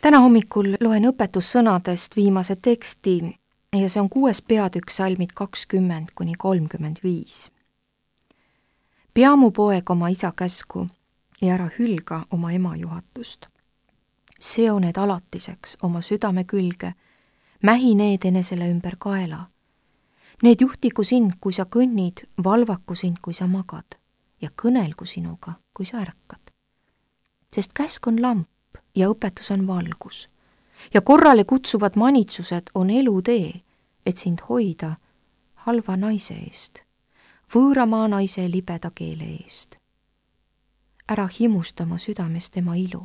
Täna hommikul loen õpetussõnadest viimase teksti ja see on 6. peatükk salmid 20–35. Pea mu poeg oma isa käsku ja ära hülga oma ema juhatust. Seo need alatiseks oma südame külge, mähi need enesele ümber kaela. Need juhtigu sind, kui sa kõnnid, valvaku sind, kui sa magad ja kõnelgu sinuga, kui sa ärkad. Sest käsk on lamp ja õpetus on valgus ja korrale kutsuvad manitsused on elutee, et sind hoida halva naise eest, võõramaa naise libeda keele eest. Ära himusta oma südames tema ilu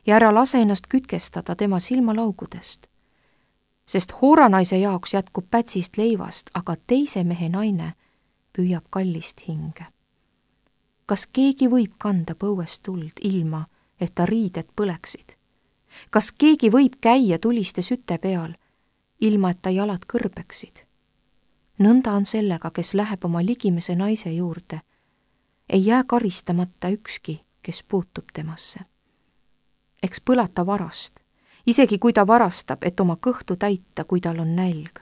ja ära lase ennast kütkestada tema silmalaugudest, sest hooranaise jaoks jätkub pätsist leivast, aga teise mehe naine püüab kallist hinge. Kas keegi võib kanda põuest tuld ilma, et ta riided põleksid? Kas keegi võib käia tuliste süte peal, ilma et ta jalad kõrbeksid? Nõnda on sellega, kes läheb oma ligimese naise juurde. Ei jää karistamata ükski, kes puutub temasse. Eks põlata varast, isegi kui ta varastab, et oma kõhtu täita, kui tal on nälg.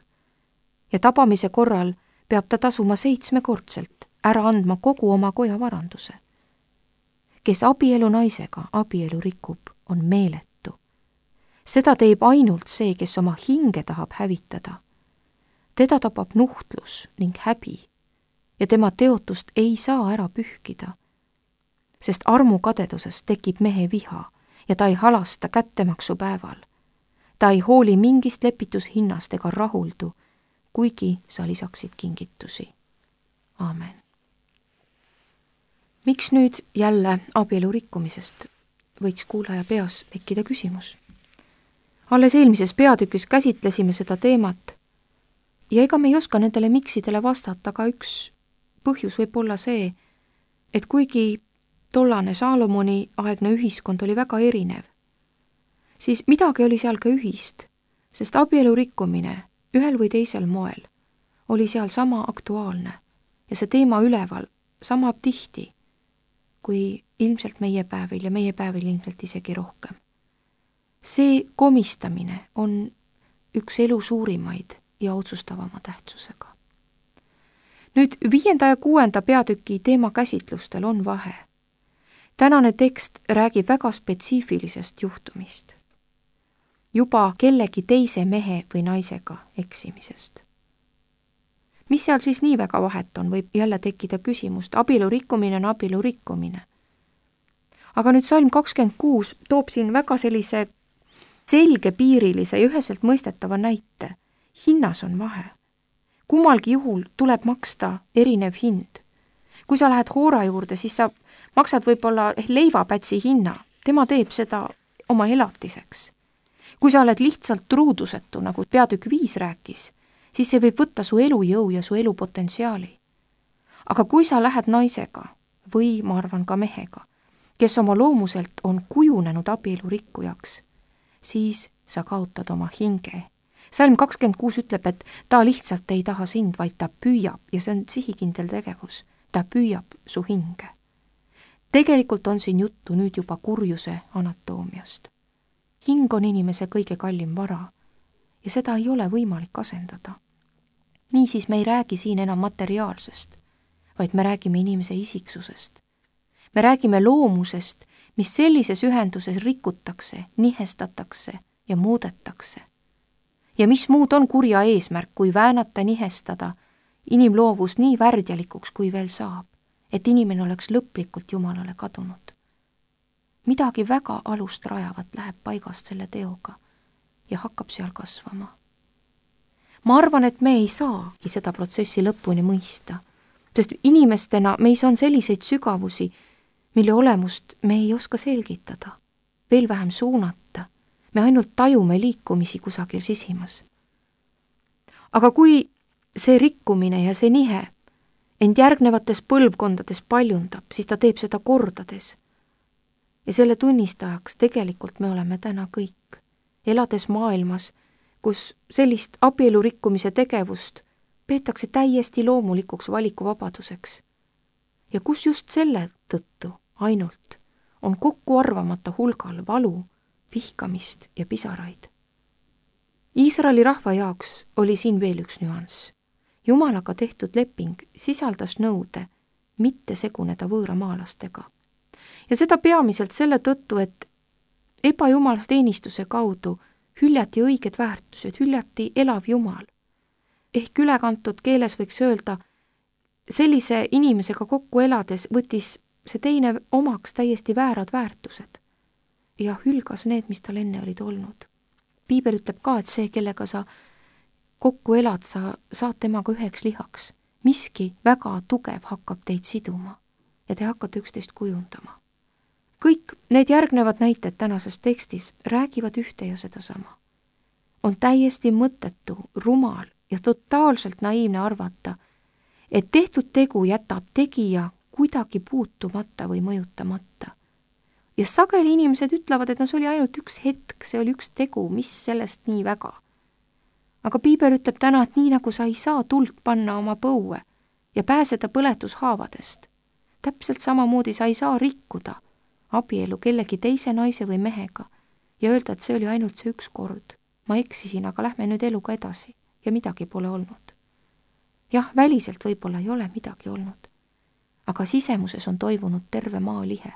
Ja tabamise korral peab ta tasuma 7-kordselt, ära andma kogu oma koja varanduse. Kes abielu naisega abielu rikub, on meeletu. Seda teeb ainult see, kes oma hinge tahab hävitada. Teda tabab nuhtlus ning häbi ja tema teotust ei saa ära pühkida, sest armukadedusest tekib mehe viha ja ta ei halasta kättemaksu päeval. Ta ei hooli mingist lepitushinnast ega rahuldu, kuigi sa lisaksid kingitusi. Aamen. Miks nüüd jälle abielu rikkumisest? Võiks kuulaja peas tekkida küsimus. Alles eelmises peatükis käsitlesime seda teemat ja ega me ei oska nendele miksidele vastata, aga üks põhjus võib olla see, et kuigi tollane Saalomoni aegne ühiskond oli väga erinev, siis midagi oli seal ka ühist, sest abielu rikkumine ühel või teisel moel oli seal sama aktuaalne ja see teema üleval sama tihti kui ilmselt meie päevil ja meie päevil ilmselt isegi rohkem. See komistamine on üks elu suurimaid ja otsustavama tähtsusega. Nüüd 5. ja 6. peatüki teema käsitlustel on vahe. Tänane tekst räägib väga spetsiifilisest juhtumist. Juba kellegi teise mehe või naisega eksimisest. Mis seal siis nii väga vahet on, võib jälle tekkida küsimust. Abielu rikkumine on abielu rikkumine. Aga nüüd salm 26 toob siin väga sellise selgepiirilise ja üheselt mõistetava näite. Hinnas on vahe. Kummalgi juhul tuleb maksta erinev hind. Kui sa lähed hoora juurde, siis sa maksad võib-olla leivapätsi hinna. Tema teeb seda oma elatiseks. Kui sa oled lihtsalt truudusetu, nagu peatükk 5 rääkis, siis see võib võtta su elujõu ja su elupotentsiaali. Aga kui sa lähed naisega või ma arvan ka mehega, kes oma loomuselt on kujunenud abielu rikkujaks, siis sa kaotad oma hinge. Salm 26 ütleb, et ta lihtsalt ei taha sind, vaid ta püüab ja see on sihikindel tegevus. Ta püüab su hinge. Tegelikult on siin juttu nüüd juba kurjuse anatoomiast. Hing on inimese kõige kallim vara ja seda ei ole võimalik asendada. Niisiis me ei räägi siin enam materiaalsest, vaid me räägime inimese isiksusest. Me räägime loomusest, mis sellises ühenduses rikutakse, nihestatakse ja muudetakse. Ja mis muud on kurja eesmärk, kui väänata, nihestada inimloovus nii värdjalikuks, kui veel saab, et inimene oleks lõplikult Jumalale kadunud. Midagi väga alust rajavat läheb paigast selle teoga ja hakkab seal kasvama. Ma arvan, et me ei saagi seda protsessi lõpuni mõista, sest inimestena meis on selliseid sügavusi, mille olemust me ei oska selgitada, veel vähem suunata. Me ainult tajume liikumisi kusagil sisimas. Aga kui see rikkumine ja see nihe end järgnevates põlvkondades paljundab, siis ta teeb seda kordades. Ja selle tunnistajaks tegelikult me oleme täna kõik, elades maailmas, kus sellist abielu rikkumise tegevust peetakse täiesti loomulikuks valikuvabaduseks. Ja kus just selle tõttu ainult on kokkuarvamata hulgal valu, vihkamist ja pisaraid. Iisraeli rahva jaoks oli siin veel üks nüanss. Jumalaga tehtud leping sisaldas nõude mitte seguneda võõramaalastega. Ja seda peamiselt selle tõttu, et ebajumalasteenistuse kaudu hüljati õiged väärtused, hüljati elav Jumal. Ehk ülekantud keeles võiks öelda, sellise inimesega kokku elades võttis see teine omaks täiesti väärad väärtused ja hülgas need, mis tal enne olid olnud. Piiber ütleb ka, et see, kellega sa kokku elad, sa saad temaga üheks lihaks. Miski väga tugev hakkab teid siduma ja te hakkate üksteist kujundama. Kõik need järgnevad näited tänases tekstis räägivad ühte ja sedasama. On täiesti mõttetu, rumal ja totaalselt naiivne arvata, et tehtud tegu jätab tegija kuidagi puutumata või mõjutamata. Ja sageli inimesed ütlevad, et see oli ainult üks hetk, see oli üks tegu, mis sellest nii väga. Aga Piiber ütleb täna, et nii nagu sa ei saa tuld panna oma põue ja pääseda põletushaavadest, täpselt samamoodi sa ei saa rikkuda abielu kellegi teise naise või mehega ja öelda, et see oli ainult see üks kord. Ma eksisin, aga lähme nüüd eluga edasi ja midagi pole olnud. Jah, väliselt võib-olla ei ole midagi olnud, aga sisemuses on toimunud terve maalihe.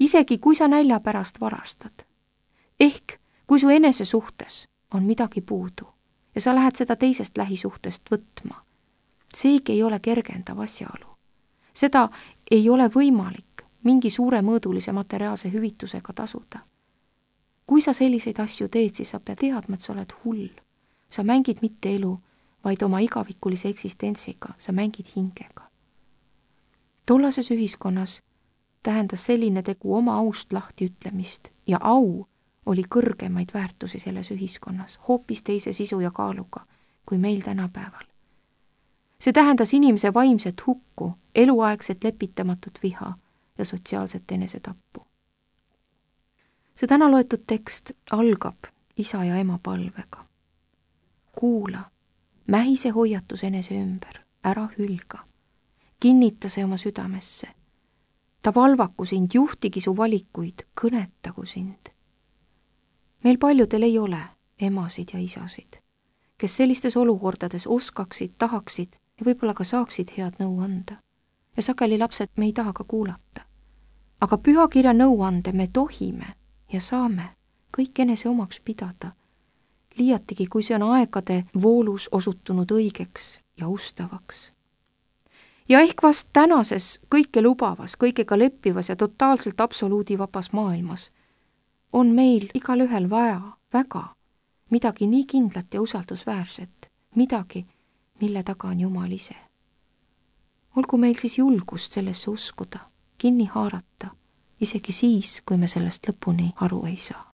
Isegi kui sa nälja pärast varastad, ehk kui su enese suhtes on midagi puudu ja sa lähed seda teisest lähisuhtest võtma, seegi ei ole kergendav asjaolu. Seda ei ole võimalik mingi suuremõõdulise materiaalse hüvitusega tasuda. Kui sa selliseid asju teed, siis sa pead teadma, et sa oled hull. Sa mängid mitte elu, vaid oma igavikulise eksistentsiga, sa mängid hingega. Tollases ühiskonnas tähendas selline tegu oma aust lahti ütlemist ja au oli kõrgemaid väärtusi selles ühiskonnas, hoopis teise sisu ja kaaluga kui meil tänapäeval. See tähendas inimese vaimset hukku, eluaegset lepitamatut viha ja sotsiaalset enesetappu. See täna loetud tekst algab isa ja ema palvega. Kuula, mähise hoiatus enese ümber, ära hülga. Kinnita see oma südamesse. Ta valvaku sind, juhtigi su valikuid, kõnetagu sind. Meil paljudel ei ole emasid ja isasid, kes sellistes olukordades oskaksid, tahaksid ja võib-olla ka saaksid head nõu anda. Ja sageli lapsed me ei taha ka kuulata. Aga pühakirja nõuande me tohime ja saame kõik enese omaks pidada, liiatigi kui see on aegade voolus osutunud õigeks ja ustavaks. Ja ehk vast tänases kõike lubavas, kõigega leppivas ja totaalselt absoluudivabas maailmas on meil igal ühel vaja väga midagi nii kindlat ja usaldusväärset, midagi, mille taga on Jumal ise. Olgu meil siis julgust sellesse uskuda, kinni haarata, isegi siis, kui me sellest lõpuni aru ei saa.